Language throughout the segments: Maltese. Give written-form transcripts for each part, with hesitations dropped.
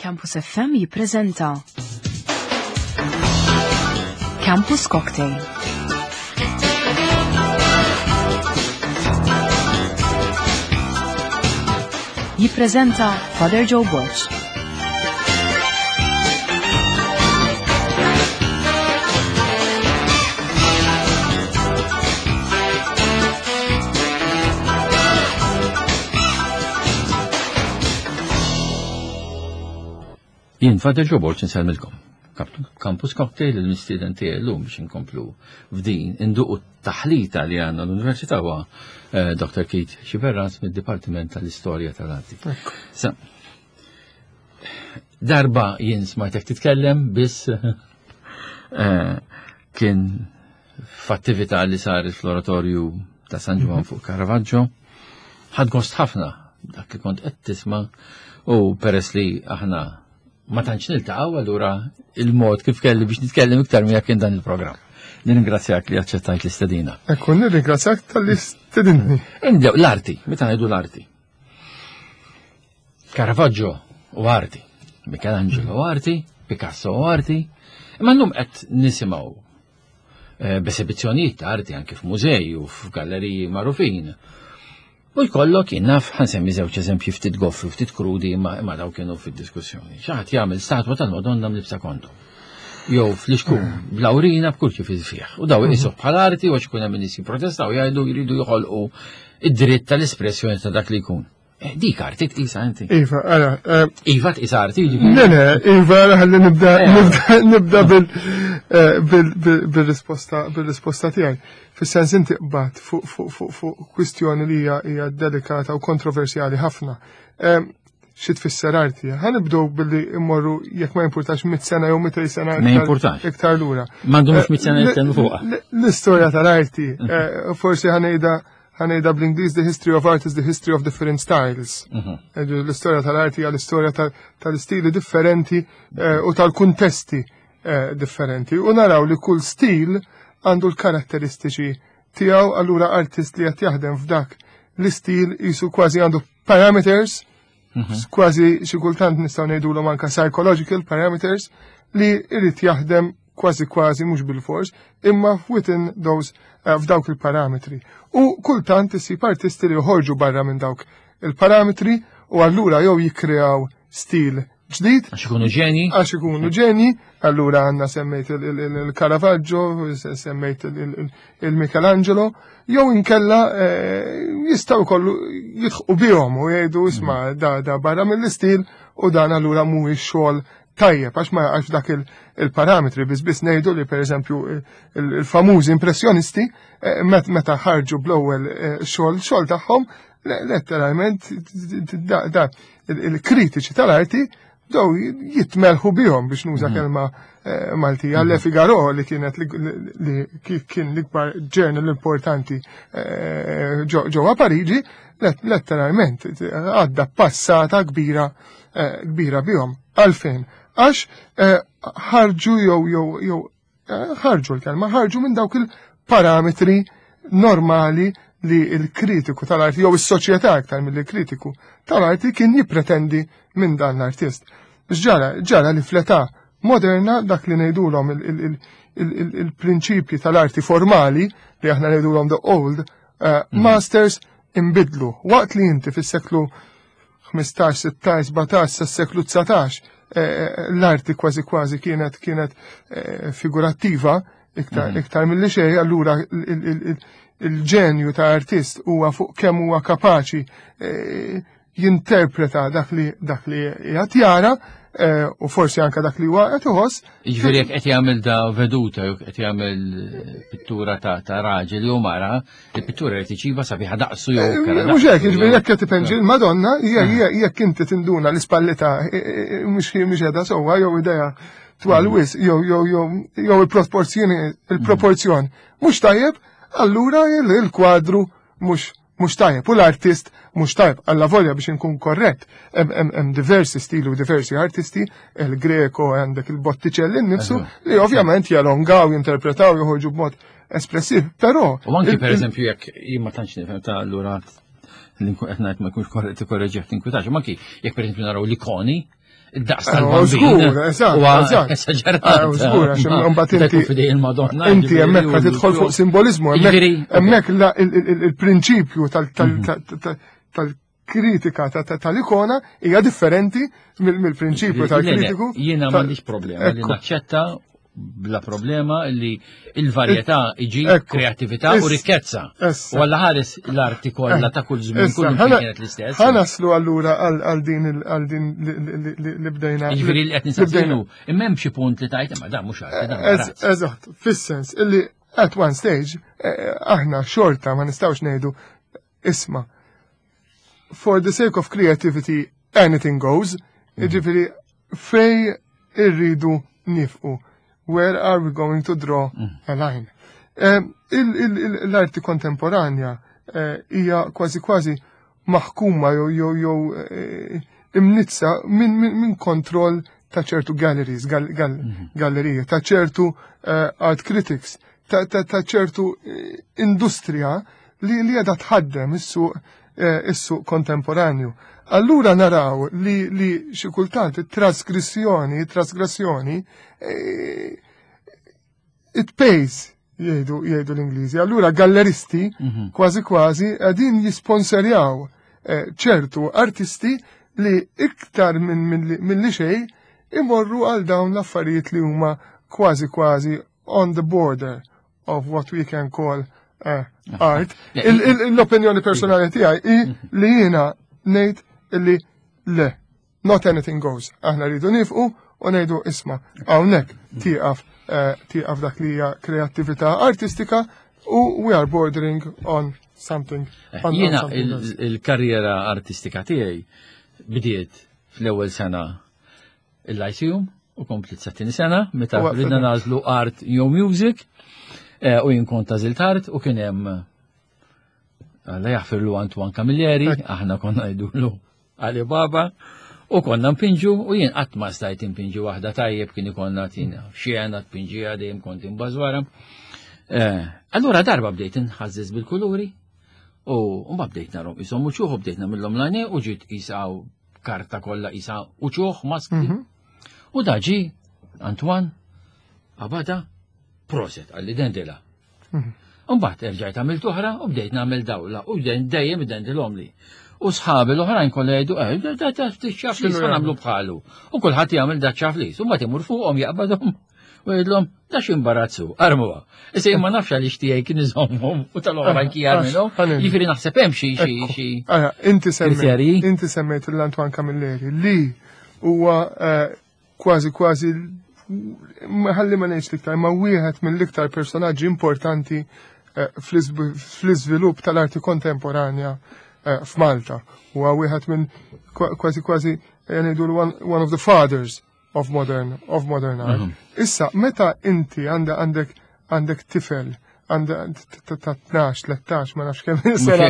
Campus FM jippreżenta Campus Cocktail. Jippreżenta Father Joe Borg. Jien Father Joe Borg insellmilkom. Campus Cocktail il-mistieden tiegħi llum biex inkomplu f'din induqu taħlita li għandna l-Università huwa eh, Dr. Keith Xiberras mid-Dipartiment tal-Istorja tal-Arti. Sa, darba jien smajtek titkellem biss eh, kien f'attività li saret fl-oratorju ta' San Ġwan fuq Caravaggio. Ħad gost ħafna dak li kont qed tisma' u peress li aħna ma tantx niltaqgħu allura il-mod kif kelli biex nitkellem iktar miegħek kien dan il-programm. Nirringrazzjak li aċċettajt l-istedina. Ekku, nirringrazzjak tal-li stedinni. Indew, l-arti, meta ngħidu l-arti. Caravaggio u arti, Michelangelo u arti, Picasso u arti, imma llum qed nisimgħu eh, b'esibizzjonijiet ta' arti anke f'mużej u f'galleriji magħrufin. U jkollok jien naf ħansemmi żewġ eżempji ftit goffi, ftit krudi imma imma daw kienu fid-diskussjoni. Xi ħadd jagħmel statwa tal-Madonna mlibsa kontu. Jew fl-ixkun bl-awrina b'kull kif fih. U daw iqisuh bħala arti u għax ikun hemm nies jipprotestaw jgħidu jridu joħolqu id-dritt tal-espressjoni ta' dak li jkun. Eh, dik arti tqisa inti. Iva, ara. Eh, iva tqisa arti. Le, le, Iva, ħalli nibda eh. nibda bil-risposta bil-risposta tiegħi. Fis-sens inti qbad fuq kwistjoni li hija delikata u kontroversjali ħafna. Xi tfisser arti? Ħa nibdew billi immorru jekk ma jimpurtax mit sena jew mitej sena iktar lura. M'għandhomx mit sena jitkellmu fuqha. L-istorja tal-arti, forsi ħanejda ħa ngħidha bl-Ingliż the history of art is the history of different styles. Mhm. L-istorja tal-arti hija l-istorja tal-istili differenti eh, u tal-kuntesti eh, differenti. U naraw li kull stil għandu l-karatteristiċi tiegħu allura artist li qed jaħdem f'dak l-istil jisu kważi għandu parameters, mhm. kważi xi kultant nistgħu ngħidulhom anke psychological parameters li jrid jaħdem kważi kważi mhux bilfors, imma within those eh, f'dawk il-parametri. U kultant isib artisti li joħorġu barra minn dawk il-parametri u allura jew jikkreaw stil ġdid. Għax ikunu ġeni. Għax ikunu ġeni, allura għandna semmejt il-Caravaggio, semmejt il-Michelangelo, jew inkella eh, jistgħu kollu jidħqu bihom u jgħidu isma' mm. da da barra mill-istil u dan allura mhuwiex xogħol tajjeb għax ma jaqax dak il-parametri biss biss ngħidu li pereżempju il-famużi impressjonisti eh, meta ħarġu bl-ewwel eh, xogħol xogħol tagħhom letteralment da il-kritiċi tal-arti daw jitmelħu bihom biex nuża mhm. kelma eh, Maltija. Le mhm. Figaro li kienet li kien l-ikbar journal importanti ġewwa Pariġi, letteralment għadda passata kbira eh, kbira bihom. Għalfejn? Għax eh, ħarġu jew jew jew eh, ħarġu l-kelma, ħarġu minn dawk il-parametri normali li l-kritiku tal-arti jew is-soċjetà aktar mill-kritiku tal-arti kien jippretendi minn dan l-artist. Ġara, ġara li fl-età moderna dak li ngħidulhom il-prinċipji tal-arti formali li aħna ngħidulhom the old mhm. masters imbidlu. Waqt li inti fis-seklu 15, 16, 17 sas-seklu 19 eh, eh, l-arti kważi kważi kienet kienet eh, figurattiva iktar mhm. iktar milli xejn, allura il-ġenju ta' artist huwa fuq kemm huwa kapaċi jinterpreta dak li dak li qiegħed jara u forsi anka dak li huwa qed iħoss. Jiġifieri jekk qed jagħmel da veduta jew qed jagħmel pittura ta' raġel jew mara, Il-pittura li tiċiba sabiħa daqsu jew eh, kera. Mhux hekk, jiġifieri jekk qed tipenġi l-Madonna, jekk inti tinduna l-ispallita eh, eh, mhux mhux qiegħda sewwa jew idea twal mm. wis jew jew jew jew il-proporzjoni il-proporzjon mhux tajjeb, allura il-kwadru mhux mhux tajjeb u l-artist mhux tajjeb alla volja biex inkun korrett hemm diversi stili u diversi artisti il Greco għandek il-Botticelli nnifsu li ovvjament jalongaw, jinterpretaw, joħorġu b'mod espressiv, però. U anki per eżempju jekk jien ma tantx nifhem ta' allura li nkun qed ngħid ma jkunx korrett ikkorreġih tinkwitax, ma anki jekk per eżempju naraw l-ikoni. id-daqs eh, tal-bambin. Żgur, eżatt. Esaġerat. Eh, żgur, għax imbagħad inti il-Madonna. Inti hemmhekk qed tidħol fuq simbolizmu, hemmhekk il-prinċipju tal-kritika tal-ikona hija differenti mill-prinċipju tal-kritiku. Jiena m'għandix problema li naċċetta bla problema li il-varjetà iġib kreatività u rikkezza. U għalla ħares l-arti kollha ta' kull żmien kull kienet l-istess. Ħanaslu allura għal din għal din li bdejna. Jiġifieri li qed nisaqsilu, imma hemm xi punt li tajt imma dan mhux arti dan. Eżatt, fis-sens illi at one stage eh, eh, aħna xorta ma nistgħux ngħidu isma' for the sake of creativity anything goes, jiġifieri fej irridu nifqu. Where are we going to draw mm. a line? Eh, l-arti kontemporanja eh, hija kważi kważi maħkuma jew jew jew eh, imnizza minn kontroll ta' ċertu galleries, mhm. gallerije, ta' ċertu art critics, ta' ċertu industrija li li qiegħda tħaddem is-suq eh, is-suq kontemporanju. Allura naraw li li xi kultant it-trasgressjoni, trasgressjoni eh, it pays jgħidu jgħidu l-Ingliżi. Allura galleristi mhm. kważi kważi qegħdin jisponserjaw eh, ċertu artisti li iktar minn min li xejn imorru għal dawn l-affarijiet li huma kważi kważi on the border of what we can call uh, art. L-opinjoni personali tiegħi hi mhm. li jiena ngħid illi le, not anything goes. Aħna rridu nifqu u ngħidu isma' hawnhekk mhm. tieqaf eh, tieqaf dak li hija kreattività artistika u we are bordering on something. Eh, jiena il-karriera artistika tiegħi bdiet fl-ewwel sena il-Lyceum u komplit sa tieni sena meta ridna nażlu art jew music eh, u jien kont għażilt art u kien hemm Alla jaħfirlu Antoine Camilleri, aħna konna ngħidulu Ali Baba, u konna npinġu u jien qatt ma stajt inpinġi waħda tajjeb kien ikollna tina xena tpinġiha dejjem kont imbażwara. Eh, allura darba bdejt inħażżeż bil-kuluri u mbagħad bdejt narhom ishom uċuħ u bdejt nagħmilhom l u ġiet qisha karta kollha isa uċuħ maskli. Mhm. U daġi Antoine Abada proset għalli dendela. Mhm. Mbagħad erġajt għamilt oħra u bdejt nagħmel dawla u dejjem dendilhom li. U sħabi l-oħrajn kollha jgħidu eh da ta' ċaflis ma nagħmlu bħalu. U kulħadd jagħmel da ċaflis u mbagħad imur fuqhom jaqbadhom U jgħidlhom da x'imbarazzu, armuha. Issa jien ma nafx għaliex tiegħi kien iżommhom u tal-oħrajn kien jarmilhom. Jiġifieri naħseb hemm xi xi xi. Inti semmejt inti semmejt l-Antoine Camilleri li huwa eh, kważi kważi ħalli ma ngħidx l-iktar, ma wieħed mill-iktar personaġġi importanti eh, fl-iżvilupp tal-arti kontemporanja eh, f'Malta. Huwa wieħed minn kważi kważi ngħidu one of the fathers of modern of modern art. Mhm. Issa, meta inti għandek għandek għandek tifel għandha ta' 12, 13, ma nafx kemm il-sena.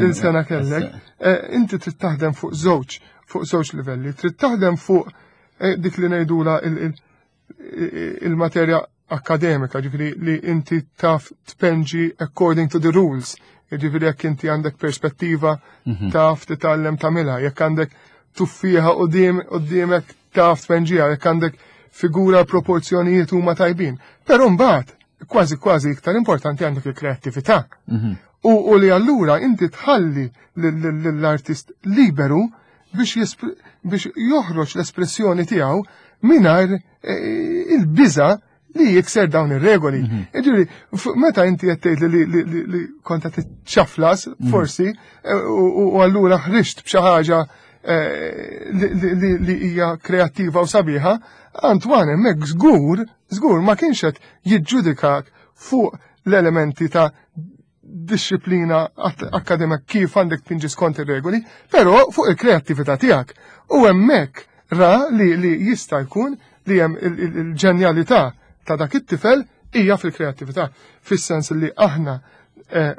Il-sena kellek. Eh, inti trid taħdem fuq żewġ, fuq żewġ livelli. Trid taħdem fuq eh, dik li ngħidula il-materja akademika, ġifiri li inti taf tpenġi according to the rules, ġifiri jekk inti għandek perspettiva mhm. taf titgħallem tagħmilha, jekk għandek tuffieħa qudiemek taf tpenġiha, jekk għandek figura proporzjonijiet huma tajbin. Però mbagħad kważi kważi iktar importanti għandek il-kreattività. Mhm. U, u li allura inti tħalli l-artist liberu biex, biex joħroġ l-espressjoni tiegħu mingħajr eh, il-biża li jikser dawn ir-regoli. Mhm. Ġifieri, meta inti qed tgħid li li kont qed tiċċaflas mhm. forsi eh, u allura ħriġt b'xi ħaġa eh, li hija kreattiva u sabiħa, Antoine hemmhekk żgur, żgur ma kienx qed jiġġudikak fuq l-elementi ta' disċiplina akkademika kif għandek tpinġi skont ir-regoli, però fuq il-kreattività tiegħek. U hemmhekk ra li, li jista' jkun li hemm il-ġenjalità ta' dak it-tifel hija fil-kreattività, fis-sens li aħna eh,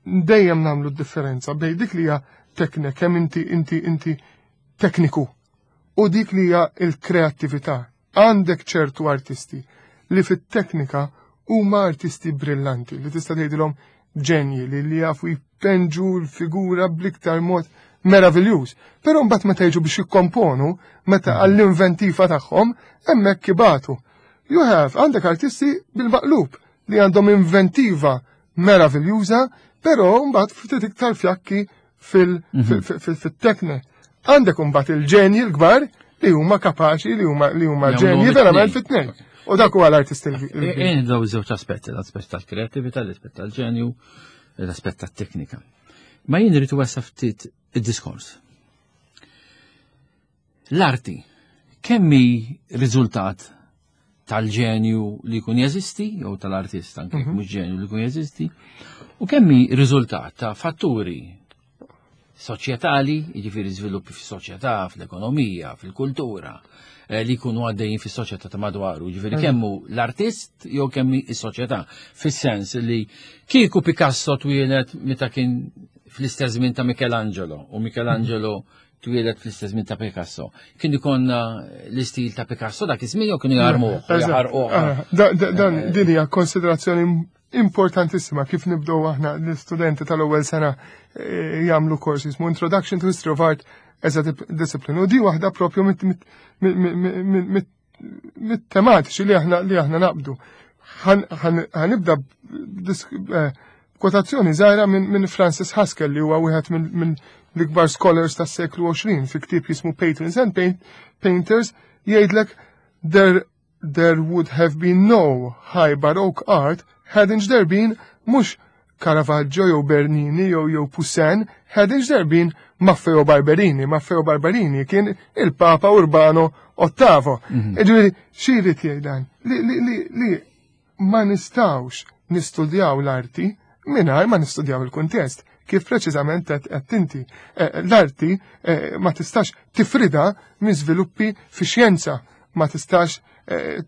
dejjem nagħmlu d-differenza bejn dik li hija teknika kemm inti inti inti tekniku u dik li hija l-kreattività. Għandek ċertu artisti li fit-teknika huma artisti brillanti li tista' tgħidilhom ġenji li li jafu jpenġu l-figura bl-iktar mod meraviljuż. Però mbagħad meta jiġu biex jikkomponu, meta għall-inventiva tagħhom, hemmhekk ibatu. You have għandek artisti bil-maqlub li għandhom inventiva meraviljuża, però mbagħad ftit iktar fjakki fil-tekne. Għandek mbagħad il-ġenji l-kbar li huma kapaċi li huma li huma ġenji verament fit-tnejn. U dak huwa l-artist il eh, Daw żewġ aspetti, l-aspett tal-kreattività, l-aspett tal-ġenju, l-aspett tat-teknika. Ma jien irid wessa ftit id-diskors. L-arti kemm hi riżultat tal-ġenju li jkun jeżisti, jew tal-artist anke mm -hmm. mhux ġenju li jkun jeżisti, u kemm hi riżultat ta' fatturi soċjetali, jiġifieri żviluppi fis-soċjetà, fl-ekonomija, fil-kultura, eh, li jkunu għaddejjin fis-soċjetà ta' madwaru, jiġifieri mm. kemmu l-artist jew kemm is-soċjetà, fis-sens li kieku Picasso twieled meta kien fl-istess żmien ta' Michelangelo u Michelangelo twieled fl-istess żmien ta' Picasso. Kien ikonna l-istil ta' Picasso dak iż-żmien jew kienu jarmuh, jaħarquh. Ah, dan eh, din hija konsiderazzjoni importantissima kif nibdew aħna l-istudenti tal-ewwel sena eh, jagħmlu kors jismu Introduction to History of Art as a Discipline. U di waħda propju mit-tematiċi li aħna li aħna naqbdu. Ħanibda eh, kwotazzjoni żgħira minn Francis Haskell li huwa wieħed minn l-ikbar scholars tas-seklu 20 fi ktieb jismu Patrons and Painters jgħidlek there there would have been no high baroque art hadn't there been mhux Caravaggio jew Bernini jew jew Poussin hadn't there been Maffeo Barberini. Maffeo Barberini kien il-Papa Urbano Ottavo. Mhm. Ġifieri xi jrid jgħid dan? Li, li, li, li ma nistgħux nistudjaw l-arti mingħajr ma nistudjaw il-kuntest. Kif preċiżament qed inti. Eh, l-arti eh, ma tistax tifrida minn żviluppi fi xjenza, ma tistax eh,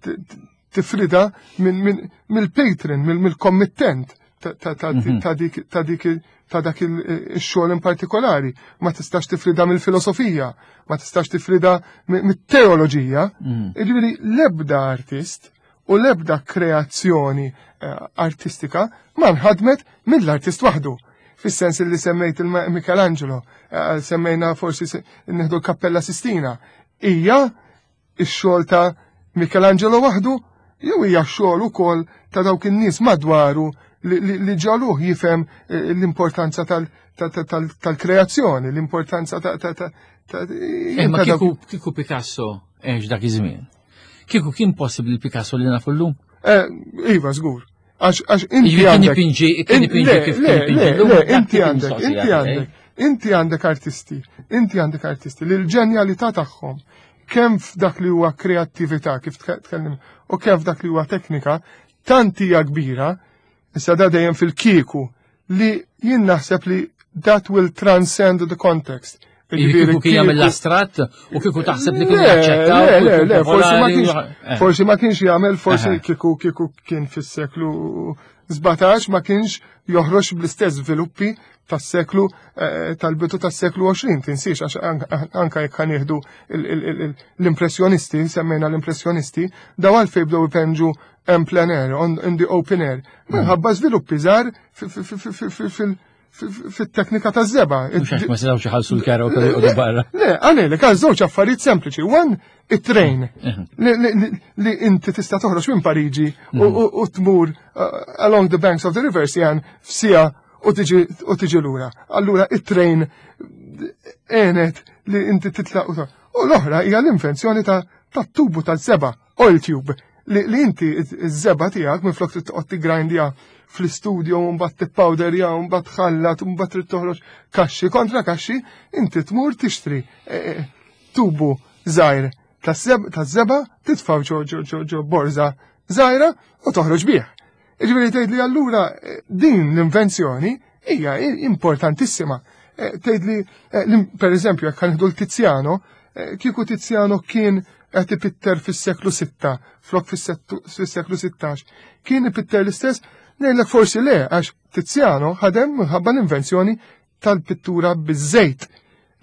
tifrida mill-patron, mill-kommittent mhm. ta' dik ta' dak il-xogħol in partikolari. Ma tistax tifrida mill-filosofija, ma tistax tifrida mit-teoloġija. Mhm. Jiġifieri l-ebda artist u l-ebda kreazzjoni eh, artistika ma nħadmet mill-artist waħdu. Fis-sens li semmejt il-Michelangelo, eh, semmejna forsi nieħdu l-Kappella Sistina, hija ix-xogħol ta' Michelangelo waħdu jew hija xogħol ukoll ta' dawk in-nies madwaru li ġaluh jifhem eh, l-importanza tal-kreazzjoni, l-importanza ta' ta' eh, Ma kieku Picasso għex dak iż-żmien. Kieku kien possibbli Picasso li nafu llum? Eh, iva, żgur. Għax inti għandek. Kien ipinġi kif kien ipinġi. Le, inti għandek, inti għandek, inti għandek artisti, inti għandek artisti li l-ġenjalità tagħhom kemm f'dak li huwa kreattività kif tkellim u kemm f'dak li huwa teknika tant hija kbira, issa da dejjem fil-kieku li jien naħseb li that will transcend the context. Kieku kien jagħmel l-astrat u kieku taħseb li kien jaċċetta. Le, le, le, forsi ma kienx eh. forsi ma kienx jagħmel, forsi kieku kieku kien fis-seklu 17 ma kienx joħroġ bl-istess żviluppi tas-seklu eh, tal-bidu tas-seklu 20, tinsiex għax anka jekk ħanieħdu l-impressjonisti, semmejna l-impressjonisti, daw għalfejn bdew ipenġu en plein air, in the open air, minħabba żviluppi żgħar fil fit-teknika ta' zeba. Mhux għax ma setgħux iħallsu l-kera u kellu joqogħdu barra. Le, għalek għal żewġ affarijiet sempliċi. One, it-train li inti tista' toħroġ minn Pariġi u tmur uh, along the banks of the river Seine f'sija u tiġi lura. Allura it-train għenet li inti titlaq u U l-oħra hija l-invenzjoni ta' tubu tal-seba, oil tube, li inti iż-żeba tiegħek minflok trid toqgħod tiggrindja fl-istudio u mbagħad tippawderja u mbagħad tħallat u mbagħad trid toħroġ kaxxi kontra kaxxi, inti tmur tixtri eh, eh, tubu żgħir taż-żeba titfgħu ġo ġo ġo ġo borża żgħira u toħroġ bih. Jiġifieri tgħid li allura eh, din l-invenzjoni hija importantissima. Tgħid li pereżempju jekk ħanieħdu l-Tiziano, kieku Tiziano kien qed ipitter fis-seklu 6 flok fis-seklu 16, kien ipitter l-istess, ngħidlek forsi le għax Tiziano ħadem minħabba l-invenzjoni tal-pittura biż-żejt.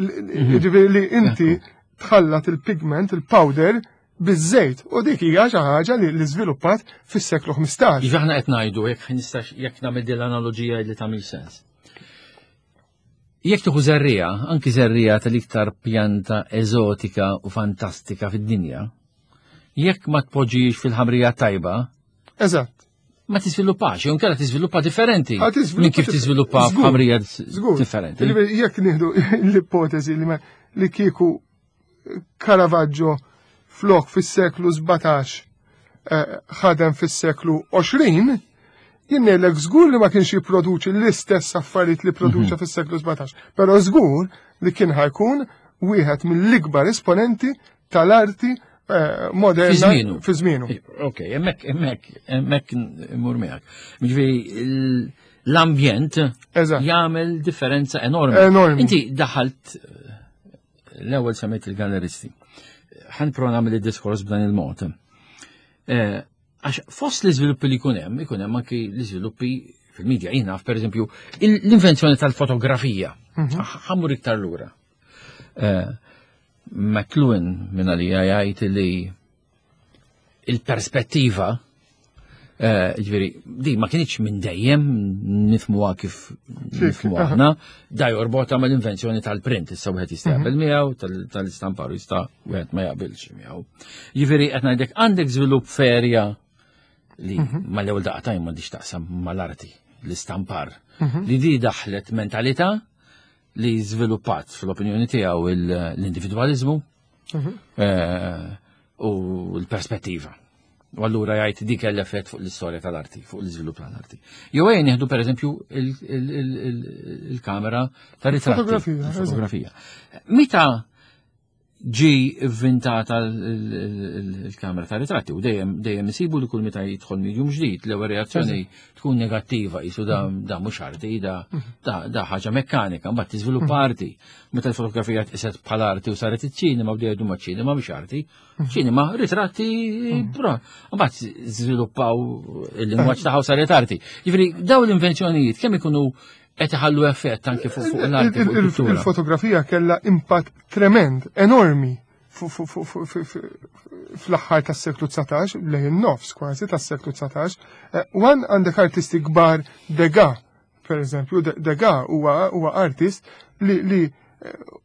Mhm. Ġifieri li inti tħallat il-pigment, il-powder, biż-żejt u dik hija xi ħaġa li li żviluppat fis-seklu 15. Iva aħna qed ngħidu jekk nistax jekk nagħmel din l-analoġija li tagħmel sens. Jekk tieħu żerriegħa, anki żerriegħa tal-iktar pjanta eżotika u fantastika fid-dinja, jekk ma tpoġġix fil-ħamrija tajba, Eżatt. Ma tiżviluppax, jew inkella tiżviluppa differenti. Minn kif tiżviluppa f'ħamrija differenti. Jekk nieħdu l-ipotezi li li kieku Caravaggio flok fis-seklu 17 eh, ħadem fis-seklu 20, jien ngħidlek żgur li ma kienx jipproduċi l-istess affarijiet li produċa mhm. fis-seklu 17, però żgur li kien ħajkun wieħed mill-ikbar esponenti tal-arti eh, moderna fi żmienu. Ok, hemmhekk hemmhekk hemmhekk immur miegħek. Jiġifieri l-ambjent jagħmel differenza enormi. Enormi. Inti daħalt l-ewwel semmejt il-galleristi. Ħan prova nagħmel id-diskors b'dan il-mod. Eh, għax fost l-iżviluppi li jkun hemm, ikun hemm anki l-iżviluppi fil-medja jien naf pereżempju l-invenzjoni tal-fotografija. Mhm. Ħammur iktar lura. Eh, McLuhan minn għalija jgħid li il-perspettiva eh, ġveri, di ma kienieċ minn dejjem nifmuha kif nifmuha aħna, da jorbota mal invenzjoni tal-print, issa wieħed jista' jaqbel mhm. miegħu, tal-istampar jista' wieħed ma jaqbilx miegħu. Ġifieri qed ngħidlek għandek żvilupp ferja li mhm. mal-ewwel daqtajn m'għandix taqsam mal-arti, l-istampar, mhm. li di daħlet mentalità li żviluppat fl-opinjoni tiegħu l-individwaliżmu eh, u l-perspettiva. U allura jgħid dik l-effett fuq l-istorja tal-arti, fuq l-iżvilupp tal-arti. Jew ejja nieħdu pereżempju il-kamera tar-ritratti. Fotografija. Meta ġi vvintata l-kamera ta' ritratti u dejjem dejjem isibu li kull meta jidħol medium ġdid l-ewwel reazzjoni tkun negattiva jisu da da mhux arti da da ħaġa mekkanika mbagħad tiżviluppa arti. Meta l-fotografija tqiset bħala arti u saret iċ-ċinema bdew jgħidu ma' ċinema mhux arti. Ċinema ritratti però mbagħad żviluppaw il-lingwaġġ tagħha u saret arti. Jiġifieri dawn l-invenzjonijiet kemm ikunu qed iħallu effett anke fuq l-arti. Il-fotografija kellha impatt tremend, enormi fl-aħħar tas-seklu 19, lejn in-nofs kważi tas-seklu 19. Eh, wan għandek artisti kbar Degas, per eżempju, Degas huwa artist li eh,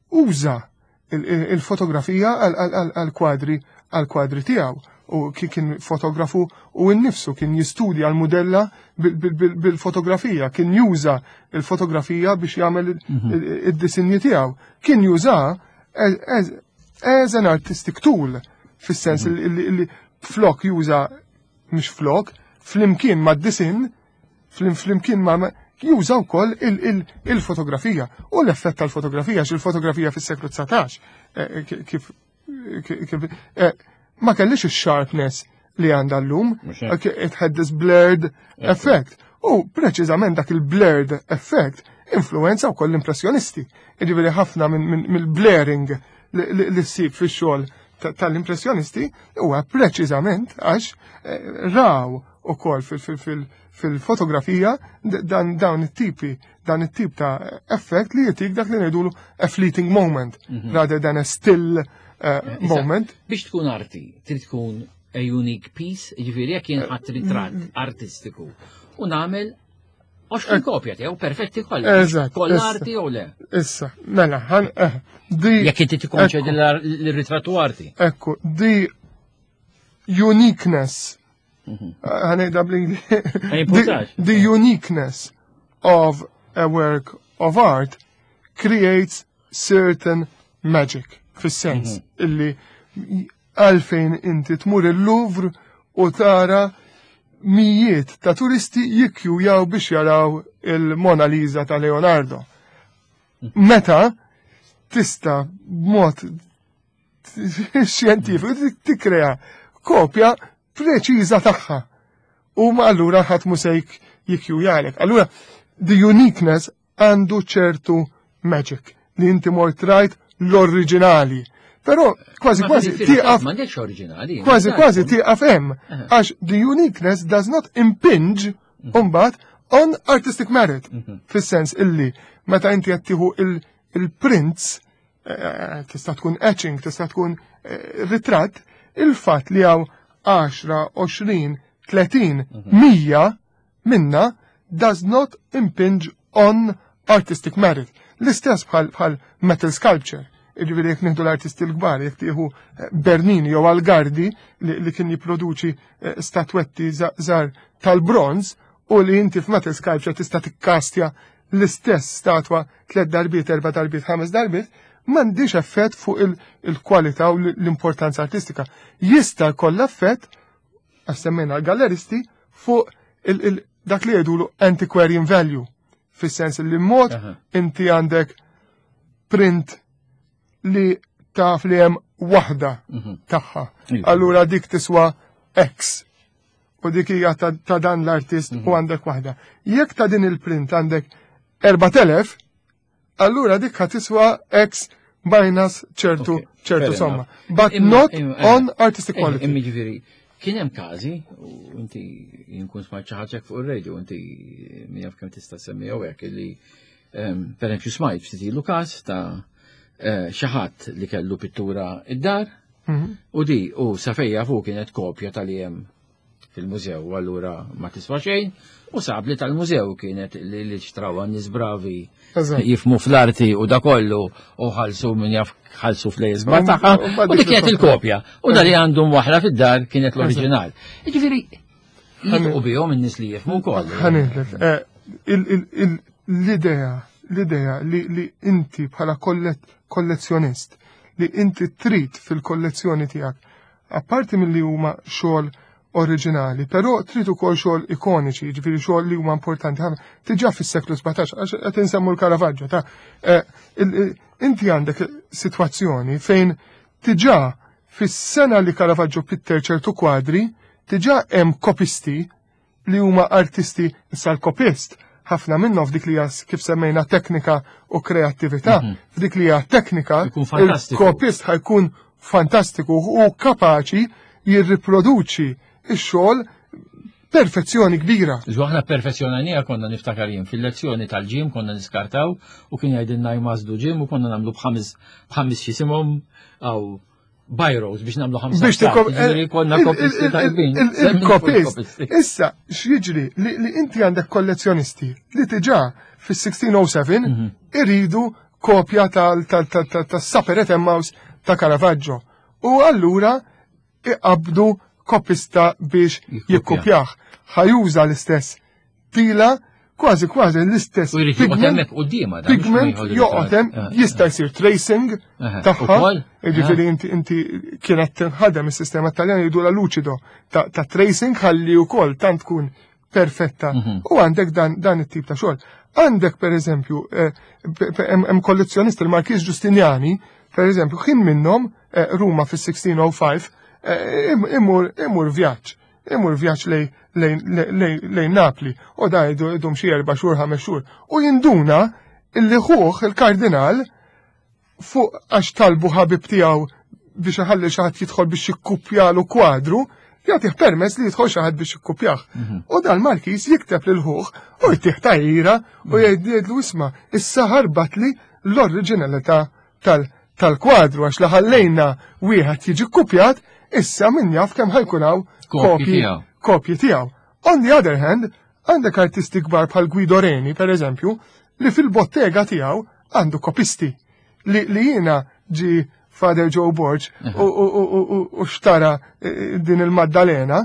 uża il-fotografija għal-kwadri għal-kwadri tiegħu u kien fotografu u nnifsu kien jistudja l-mudella bil-fotografija, kien juża il-fotografija biex jagħmel mhm. id-disinji tiegħu. Kien juża as an artistic tool fis-sens mhm. li flok juża mhux flok, flimkien mad-disin flimkien ma' juża wkoll il-fotografija u l-effett tal-fotografija, għax il-fotografija fis-seklu 19 eh, eh, kif eh, ma kellix ix-sharpness li għandha llum, it had this blurred effect. U preċiżament dak il-blurred effect influenza wkoll l-impressjonisti. Jiġifieri ħafna mill-blaring li ssib fix-xogħol tal-impressjonisti huwa preċiżament għax raw ukoll fil-fotografija dan dawn it-tipi dan it-tip ta' effett li jitik dak li ngħidulu a fleeting moment mhm. rather than a still eh, moment. Biex tkun arti, trid tkun a unique piece, jiġifieri jekk jien ħadd ritratt mm. artistiku u nagħmel 20 kopja tiegħu perfetti kollha. Eżatt. Kollha arti jew le? Issa, mela, ħan eh, di. Jekk inti tikkonċedi l-ritrattu arti. Ekku, di uniqueness mhm. Ħanejda bl-Ingliż. The uniqueness of a work of art creates certain magic, fis-sens mhm. illi għalfejn inti tmur il-Louvre u tara mijiet ta' turisti jikkjujaw biex jaraw il-Mona Lisa ta' Leonardo. Mhm. Meta tista' b'mod xjentifiku tikkrea kopja preċiża tagħha. U ma allura ħadd mhu se jikkjujalek. Allura the uniqueness għandu ċertu magic li inti mort rajt l-oriġinali. Però kważi kważi tieqaf. M'għandekx oriġinali. Kważi kważi tieqaf hemm. Għax the uniqueness does not impinge mhm. mbagħad on artistic merit. Mhm. Fis-sens illi meta inti qed tieħu il-prints eh, tista' tkun etching, tista' tkun eh, ritratt, il-fatt li hawn 10, 20, 30, 100 minna does not impinge on artistic merit. L-istess bħal metal sculpture. Jiġifieri jekk nieħdu l-artisti l-kbar, jekk tieħu eh, Bernini jew Algardi li kien jipproduċi eh, statwetti żgħar tal-bronz u li inti f'metal sculpture tista' tikkastja l-istess statwa tliet darbiet, erba' darbiet, ħames darbiet, m'għandix effett fuq il-kwalità u l-importanza artistika. Jista' jkollha effett, għax semmejna l-galleristi, fuq dak li jgħidulu antiquarian value, fis-sens li mod inti għandek print li taf li hemm waħda mhm. tagħha. Iva. Allura dik tiswa X u dik hija ta' dan l-artist u mhm. għandek waħda. Jekk ta' din il-print għandek 4000, allura dik tiswa X minus ċertu ċertu somma. But not eh, on artistic eh, quality. Imma ġifieri, kien hemm każi, u inti jinkun smajt xi ħaġa fuq ir-radio, inti min jaf kemm tista' semmi jew hekk illi ehm, per eżempju smajt ftit ilu każ ta' eh, xi ħadd li kellu pittura id-dar mhm. u di u sa fejja fuq kienet kopja tal-jem fil-mużew, u allura ma tiswa xejn, u sab li tal-mużew kienet li li xtrawa nies bravi jifmu fl-arti u da kollu u ħalsu minn jaf ħalsu flejjes tagħha u dik kienet il-kopja. U da li għandhom waħra fid-dar kienet l-oriġinal. Jiġifieri jitqu bihom in-nies li jifmu wkoll. Ħanejlek, eh, l-idea l-idea li inti bħala kollezzjonist li inti trid fil-kollezzjoni tiegħek Apparti milli huma xogħol oriġinali, però trid ukoll xogħol ikoniċi, jiġifieri xogħol li huma importanti ħafna. Diġà fis-seklu 17, għax qed insemmu l-Caravaggio ta' eh, inti għandek sitwazzjoni fejn diġà fis-sena li Caravaggio pitter ċertu kwadri, diġà hemm kopisti li huma artisti issa l-kopist ħafna minnhom f'dik li hija kif semmejna teknika u kreattività, mhm. f'dik li hija teknika, il-kopist ħajkun fantastiku u kapaċi jirriproduċi x-xogħol perfezzjoni kbira. Iżu aħna perfezzjonanija konna niftakar jien fil-lezzjoni tal-ġim konna niskartaw u kien jgħidilna jmażdu ġim u konna nagħmlu b'ħames b'ħames xisimhom għaw Byros biex namlu ħamsa. Biex tikom. Eh, konna kopisti tajbin. Il-kopist. Issa, x'jiġri li inti għandek kollezzjonisti li tiġa fis-1607 mhm. iridu kopja tal-Supper at Emmaus ta' Caravaggio. U allura iqabdu kopista biex jikkopjah. Ħajuża l-istess tila kważi kważi l-istess pigment pigment joqgħod hemm eh, jista' eh. jsir tracing tagħha. Jiġifieri eh. inti inti kienet tinħadem is-sistema Taljan jgħidu la lucido ta' tracing ħalli wkoll tant tkun perfetta. Mhm. U għandek dan dan it-tip ta' xogħol. Għandek per eżempju hemm kollezzjonist il-Markiż Giustiniani, per eżempju, ħin minnhom Ruma fis-1605 imur imur vjaġġ imur vjaġġ lejn Napli u da jdum xi erba' xhur ħames xhur u jinduna illi ħuh il-kardinal fuq għax talbu ħabib tiegħu biex iħalli xi ħadd jidħol biex jikkupjalu kwadru, jagħtih permess li jidħol xi ħadd biex jikkupjah. Mhm. U dal-Markiż jikteb lil ħuh u jtih tajira u mhm. jgħidlu isma' issa ħarbatli l-oriġinalità tal-kwadru għax li ħallejna wieħed jiġi kkupjat, issa min jaf kemm ħajkun hawn kopji kopji tiegħu. On the other hand, għandek artisti kbar bħal Guido Reni, per eżempju, li fil-bottega tiegħu għandu kopisti li, li jiena ġi Father Joe Borg u xtara eh, din il-Maddalena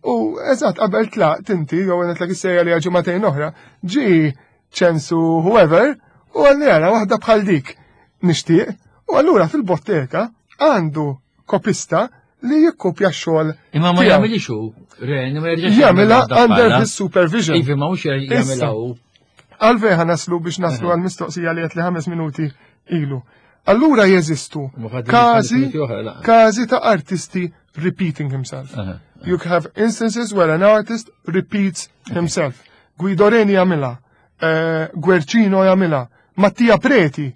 u eżatt qabel tlaqt inti jew għenet l li ġimagħtejn oħra ġi ċensu whoever, u għalli għara waħda bħal dik nixtieq, u allura fil-botteka għandu kopista li jikkopja xogħol. Imma ma jagħmilix hu, Ren, ma jerġax jagħmilha under his supervision. Ivi ma hux jagħmilha hu. Għalfejn ħa naslu biex naslu għal mistoqsija li qed li ħames minuti ilu. Allura jeżistu każi każi ta' artisti repeating himself. You have instances where an artist repeats himself. Guido Reni jagħmilha, eh, Guercino jagħmilha, Mattia Preti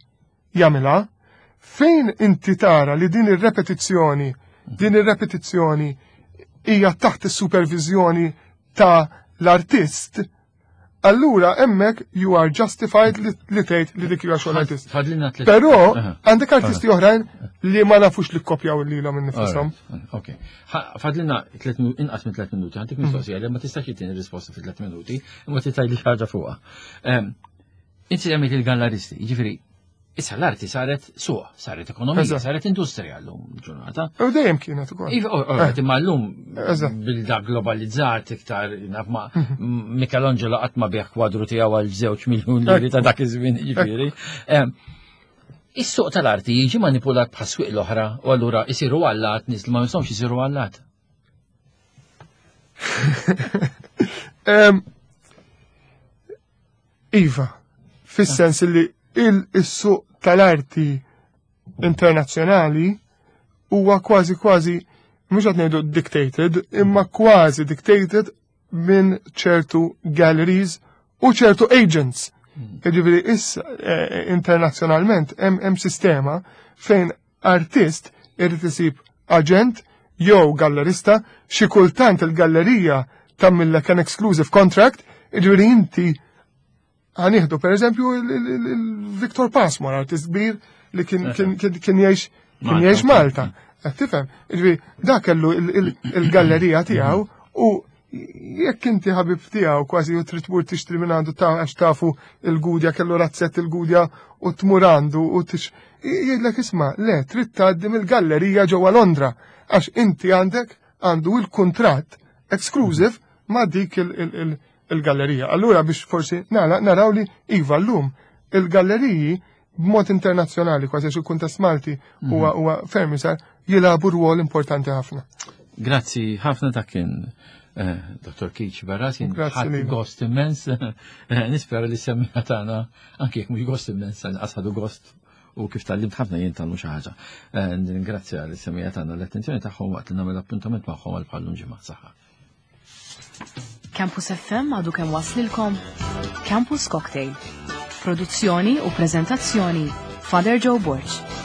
jagħmilha. Fejn inti tara li din ir-repetizzjoni, din ir-repetizzjoni hija taħt is-supervizjoni ta' l-artist, allura hemmhekk you are justified li tgħid li dik hija xogħol artist. Però għandek artisti oħrajn li ma nafux li kkopjaw lilhom innifushom. Ok. Fadlina inqas minn 3 minuti, għandek mistoqsija li ma tistax jittini risposta fi 3 minuti, imma titgħidli ħaġa fuqha. Inti għamilt il-galleristi, jiġifieri. Issa l-arti saret suq, saret ekonomija, saret industrija l-lum ġurnata. U dejjem kienet ukoll. Iva, eh. imma l-lum bil-da globalizzat iktar naf ma mhm. Michelangelo qatt ma bieħ kwadru tiegħu għal żewġ miljun liri ta' dak iż-żmien jiġifieri. Is-suq tal-arti jiġi manipulat bħas-swieq l-oħra u allura jsiru allat nies li ma jistgħux isiru allat. Iva, fis-sens li il-suq tal-arti internazzjonali huwa kważi kważi mhux qed ngħidu dictated, imma kważi dictated minn ċertu galleries u ċertu agents. Hmm. Jiġifieri issa eh, internazzjonalment hemm sistema fejn artist irid isib aġent jew gallerista, xi kultant il-gallerija tagħmillek an exclusive contract, jiġifieri inti ħanieħdu pereżempju il-Victor Passmore, artist kbir li kien jgħix kien jgħix Malta. Qed tifhem? Jiġifieri dak kellu il-gallerija tiegħu u jekk inti ħabib tiegħu kważi u trid tmur tixtri minn għandu ta' għax tafu il-gudja kellu razzett il-gudja u tmur għandu u tix jgħidlek isma' le trid tgħaddi mill-gallerija ġewwa Londra għax inti għandek għandu il-kuntratt exclusive ma' dik il-gallerija. Allura biex forsi nagħlaq naraw li iva llum il-galleriji b'mod internazzjonali kważi għax il-kuntest Malti mhm. huwa huwa ferm sar jilagħbu rwol importanti ħafna. Grazzi ħafna ta' kien eh, Dr. Keith Barras, ħadd gost immens, eh, nispera li semmija tagħna anke jekk mhux gost immens, għasħadu gost u kif tal-limt ħafna jien tal xi ħaġa. Eh, Ningrazzja li semmija tagħna l-attenzjoni tagħhom waqt li nagħmel appuntament magħhom għal bħallum ġimgħa saħħa. Campus FM għadu kemm waslilkom Campus Cocktail. Produzzjoni u prezentazzjoni Father Joe Borg.